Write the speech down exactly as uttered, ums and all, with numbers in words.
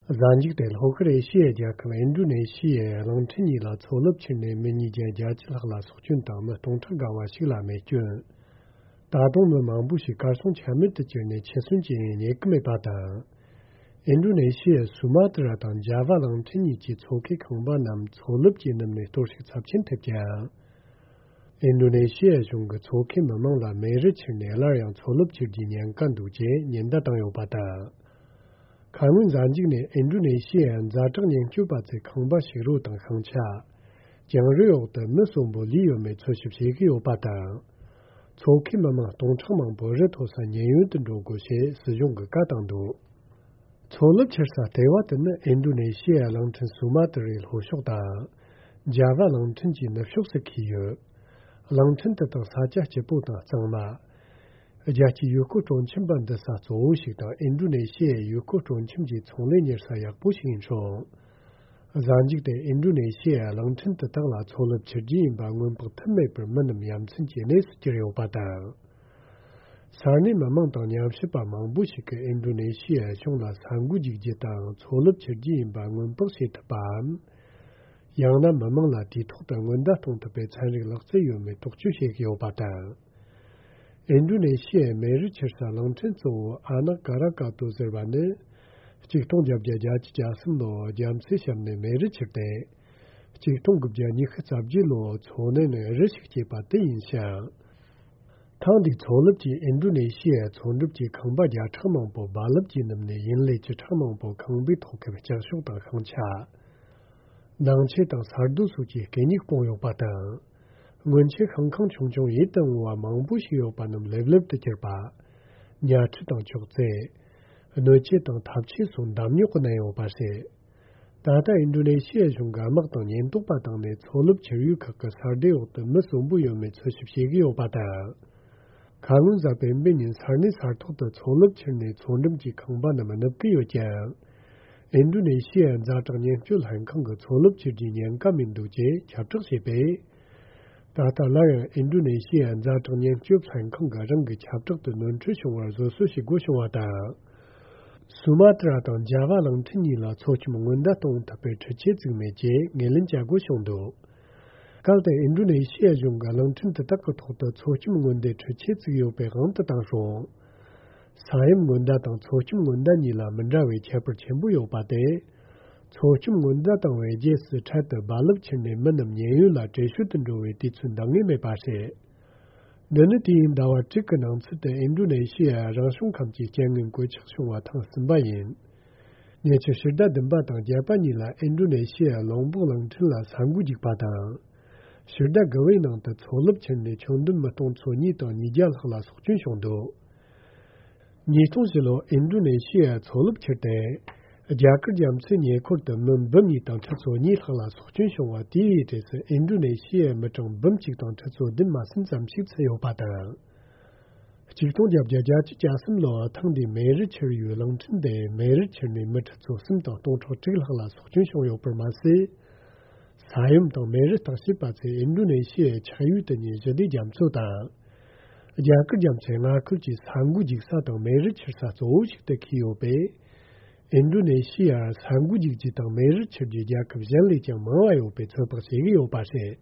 གཟའ་མཇུག་དེ་ལྷོ་ཤར་ཨེ་ཤི་ཡའི་རྒྱལ་ཁབ་ཨིན་ཌོ་ནེ་ཤི་ཡའི་གླིང་ཕྲན་གཉིས་ལ་མཚོ་རླབས་འཕྱུར་ནས་མི་ཉིས་བརྒྱ་བརྒྱད་ཅུ་ལྷག་ལ་སྲོག་སྐྱོན་དང་མི་སྟོང་ཕྲག་བརྒལ་བ་ཞིག་ལ་རྨས་སྐྱོན། ད་དུང་མི་མང་པོ་ཞིག་གར་སོང་ཆ་མེད་དུ་གྱུར་ནས་འཆི་གསོན་གྱི་ཡང་རྙེད་ཀྱི་མེད་པ་དང་། ཨིན་ཌོ་ནེ་ཤི་ཡའི་སུ་མ་ཏི་ར་དང་ཇཱ་ཝ་གླིང་ཕྲན་གཉིས་ཀྱི་མཚོ་ཁའི་ཁང་པ་རྣམས་མཚོ་རླབས་ཀྱིས་ནུབ་ནས་གཏོར་བཤིག་ཚབས་ཆེན་ཐེབས་ཀྱང་། ཨིན་ཌོ་ནེ་ཤི་ཡའི་གཞུང་གིས་མཚོ་ཁའི་མི་མང་ལ་མེ་རི་འཕྱུར་ནས་སླར་ཡང་མཚོ་རླབས་འཕྱུར་རྒྱུའི་ཉེན་ཁ་འདུག་ཅེས་ཉེན་བརྡ་བཏང་ཡོད་པ་དང་། ཁ་སྔོན་གཟའ་མཇུག་ནས་ཨིན་ཌོ་ནེ་ཤི་ཡའི་ཛ་དྲག་ཉེན་སྐྱོབ་པ་ཚོས་ཁང་པ་ཞིག་རོ་དང་ཤིང་ཆ། གྱང་རིལ་འོག་ཏུ་མི་གསོན་པོ་ལུས་ཡོད་མེད་འཚོལ་ཞིབ་བྱེད་ཀྱི་ཡོད་པ་དང་། མཚོ་ཁའི་མི་མང་སྟོང་ཕྲག་མང་པོ་རི་མཐོ་ས་ཉེན་གཡོལ་དུ་འགྲོ་དགོས་ཞེས་སྲིད་གཞུང་གིས་བཀའ་བཏང་འདུག་མཚོ་རླབས་འཕྱུར་ས་ལྟེ་བ་དེ་ནི་ཨིན་ཌོ་ནེ་ཤི་ཡའི་གླིང་ཕྲན་སུ་མ་ཏི་རའི་ལྷོ་ཕྱོགས་དང་། ཇཱ་ཝ་གླིང་ཕྲན་གྱི་ནུབ་ཕྱོགས་སུ་འཁེལ་ཡོད། གླིང་ཕྲན་དེ་དག་ས་ཆ་སྐྱིད་པོ་དང་གཙང་མ། རྒྱལ་སྤྱིའི་ཡུལ་སྐོར་སྤྲོ་འཆམ་པ་འདུ་ས་གཙོ་བོ་ཞིག་དང་ཨིན་ཌོ་ནེ་ཤི་ཡའི་ཡུལ་སྐོར་སྤྲོ་འཆམ་གྱི་ཚོང་ལས་གཉེར་ས་ཡག་པོ་ཞིག་ཡིན་ཞིང་། གཟའ་མཇུག་དེ་ཨིན་ཌོ་ནེ་ཤི་ཡའི་གླིང་ཕྲན་དུ་དག་ལ་མཚོ་རླབས་འཕྱུར་རྒྱུ་ཡིན་པ་སྔོན་དཔག་ཐུབ་མེད་པར་མི་རྣམས་ཡ་མཚན་གྱི་གནས་སུ་གྱུར་ཡོད་པ་དང་། ས་གནས་མི་མང་དང་ཉམས་ཞིབ་པ་མང་པོ་ཞིག་གིས་ཨིན་ཌོ་ནེ་ཤི་ཡའི་གཞུང་ལ་ས་འགུལ་རྒྱུག་རྒྱུ་དང་མཚོ་རླབས་འཕྱུར་རྒྱུ་ཡིན་པ་སྔོན་དཔག་བྱེད་ཐུབ་པའམ། ཡང་ན་མི་མང་ལ་དུས་ཐོག་ཏུ་སྔོན་བརྡ་གཏོང་ཐུབ་པའི་ཚན་རིག་ལག་རྩལ་ཡོད་མེད་རྟོག་དཔྱོད་བྱེད་ཀྱི་ཡོད་པ་དང་། ཨིན་ཌོ་ནེ་ཤི་ཡའི་མེ་རི་འཕྱུར་ས་གླིང་ཕྲན་གཙོ་བོ་ཨ་ནག་ཀ་ར་ཀ་ཏོ་ཟེར་བ་ནི། ཆིག་སྟོང་བརྒྱད་བརྒྱ་གྱ་གསུམ་ལོར་རྒྱ་མཚོའི་གཤམ་ནས་མེ་རི་འཕྱུར་ཏེ། ཆིག་སྟོང་དགུ་བརྒྱ་ཉི་ཤུ་རྩ་བརྒྱད་ལོར་མཚོ་ནས་ནས་རི་ཞིག་སྐྱེས་པ་དེ་ཡིན་ཞིང་། ཐེངས་འདིའི་མཚོ་རླབས་ཀྱིས་ཨིན་ཌོ་ནེ་ཤི་ཡའི་མཚོ་འགྲམ་གྱི་ཁང་པ་བརྒྱ་ཕྲག་མང་པོ་རྦ་རླབས་ཀྱིས་ནུབ་ནས་ཡུན་ལས་བཅུ་ཕྲག་མང་པོ་ཁང་པའི་ཐོག་གི་ལྕགས་ཤོག་དང་ཤིང་ཆ། ནང་ཆས་དང་ས་རྡོ་སོགས་ཀྱི་གད་སྙིགས་སྤུངས་ཡོད་པ་དང་། སྔོན་ཆད་ཤིང་ཁང་ཆུང་ཆུང་ཡིད་དུ་འོང་བ་མང་པོ་ཞིག་ཡོད་པ་རྣམས་ལེབ་ལེབ་ཏུ་གྱུར་པ། ཉལ་ཁྲི་དང་ཅོག་ཙེ། སྣོད་ཆས་དང་ཐབ་ཆས་སོགས་འདམ་རྙོག་གིས་མནན་ཡོད་པ་རེད། ད་ལྟ་ཨིན་ཌོ་ནེ་ཤི་ཡའི་གཞུང་གིས་དམག་དང་ཉེན་རྟོག་པ་བཏང་ནས་མཚོ་རླབས་འཕྱུར་ཡུལ་ཁག་གི་ས་སྡེ་འོག་ཏུ་མི་གསོན་པོ་ཡོད་མེད་འཚོལ་ཞིབ་བྱེད་ཀྱི་ཡོད་པ་དང་། ཁ་སྔོན་གཟའ་སྤེན་པའི་ཉིན་ས་གནས་ས་ཐོག་ཏུ་མཚོ་རླབས་འཕྱུར་ནས་མཚོ་འགྲམ་གྱི་ཁང་པ་རྣམས་ནུབ་ཀྱི་ཡོད་ཀྱང་། ཨིན་ཌོ་ནེ་ཤི་ཡའི་ཛ་དྲག་ཉེན་སྐྱོབ་ལྷན་ཁང་གིས་མཚོ་རླབས་འཕྱུར་རྒྱུའི་ཉེན་ཁ་མི་འདུག་ཅེས་ཁྱབ་བསྒྲགས་བྱས་པས། ད་ལྟ་སླར་ཡང་ཨིན་ཌོ་ནེ་ཤི་ཡའི་ཛ་དྲག་ཉེན་སྐྱོབ་ལྷན་ཁང་གིས་རང་གི་ཁྱབ་བསྒྲགས་དུ་ནོར་འཁྲུལ་བྱུང་བར་བཟོ་བཅོས་བྱེད་དགོས་བྱུང་བ་དང་། སུ་མ་ཏི་ར་དང་ཇཱ་ཝ་གླིང་ཕྲན་གཉིས་ལ་མཚོ་སྐྱོམ་སྔོན་བརྡ་གཏོང་ཐུབ་པའི་འཕྲུལ་ཆས་བཙུགས་མེད་ཅེས་ངོས་ལེན་བྱ་དགོས་བྱུང་འདུག་གལ་ཏེ་ཨིན་ཌོ་ནེ་ཤི་ཡའི་གཞུང་གིས་གླིང་ཕྲན་དེ་དག་གི་ཐོག་ཏུ་མཚོ་སྐྱོམ་སྔོན་བརྡའི་འཕྲུལ་ཆས་བཙུགས་ཡོད་པའི་དབང་དུ་བཏང་སོང་། ས་ཡོམ་སྔོན་བརྡ་དང་མཚོ་སྐྱོམ་སྔོན་བརྡ་གཉིས་ལ་མི་འདྲ་བའི་ཁྱད་པར་ཆེན་པོ་ཡོད་པ་སྟེ། མཚོ་སྐྱོམ་སྔོན་བརྡ་བཏང་བའི་རྗེས་སུ་འཕྲལ་དུ་རྦ་རླབས་འཕྱུར་ནས་མི་རྣམས་ཉེན་གཡོལ་ལ་བྲོས་བྱོལ་དུ་འགྲོ་བའི་དུས་ཚོད་འདང་ངེས་མེད་པ་རེད། འདི་ནི་དུས་ཡུན་ཟླ་བ་དྲུག་གི་ནང་ཚུད་དུ་ཨིན་ཌོ་ནེ་ཤི་ཡའི་རང་བྱུང་ཁམས་ཀྱི་རྐྱེན་ངན་གོད་ཆག་བྱུང་བ་ཐེངས་གསུམ་པ་ཡིན། ཉེ་ཆར་ཕྱི་ཟླ་བདུན་པ་དང་བརྒྱད་པ་གཉིས་ལ་ཨིན་ཌོ་ནེ་ཤི་ཡའི་ལོང་བོག་གླིང་ཕྲན་ལ་ས་འགུལ་རྒྱུག་པ་དང་། ཕྱི་ཟླ་དགུ་པའི་ནང་དུ་མཚོ་རླབས་འཕྱུར་ནས་ཁྱོན་བསྡོམས་མི་སྟོང་ཚོ་གཉིས་དང་ཉིས་བརྒྱ་ལྷག་ལ་སྲོག་སྐྱོན་བྱུང་འདུག་ཉིས་སྟོང་བཞི་ལོར་ཨིན་ཌོ་ནེ་ཤི་ཡའི་མཚོ་རླབས་འཕྱུར་ཏེ། རྒྱ་གར་རྒྱ་མཚོའི་ཉེ་འཁོར་དུ་མི་འབུམ་གཉིས་དང་ཁྲི་ཚོ་གཉིས་ལྷག་ལ་སྲོག་སྐྱོན་བྱུང་བ་དེའི་གྲས་སུ་ཨིན་ཌོ་ནེ་ཤི་ཡའི་མི་གྲངས་འབུམ་གཅིག་དང་ཁྲི་ཚོ་བདུན་མ་ཟིན་ཙམ་ཞིག་ཚུད་ཡོད་པ་དང་། ཆིག་སྟོང་བརྒྱད་བརྒྱ་གྱ་གསུམ་ལོར་ཐེངས་འདིའི་མེ་རི་འཕྱུར་ཡུལ་གླིང་ཕྲན་དེ་མེ་རི་འཕྱུར་ནས་མི་ཁྲི་ཚོ་གསུམ་དང་སྟོང་ཕྲག་དྲུག་ལྷག་ལ་སྲོག་སྐྱོན་བྱུང་ཡོད་པར་མ་ཟད། ས་ཡོམ་དང་མེ་རི་བརྟག་དཔྱད་པ་ཚོས་ཨིན་ཌོ་ནེ་ཤི་ཡའི་ཆགས་ཡུལ་དུ་ཉེ་ཞི་བདེ་རྒྱ་མཚོ་དང་། རྒྱ་གར་རྒྱ་མཚོའི་མངའ་ཁུལ་གྱི་ས་འགུལ་རྒྱུག་ས་དང་མེ་རི་འཕྱུར་ས་གཙོ་བོ་ཞིག་ཏུ་འཁེལ་ཡོད་པས། ཨིན་ཌོ་ནེ་ཤི་ཡར་ས་འགུལ་རྒྱུག་རྒྱུ་དང་མེ་རི་འཕྱུར་རྒྱུའི་རྒྱལ་ཁབ་གཞན་ལས་ཀྱང་མང་བ་ཡོད་པའི་ཚོད་དཔག་བྱེད་ཀྱི་ཡོད་པ་རེད།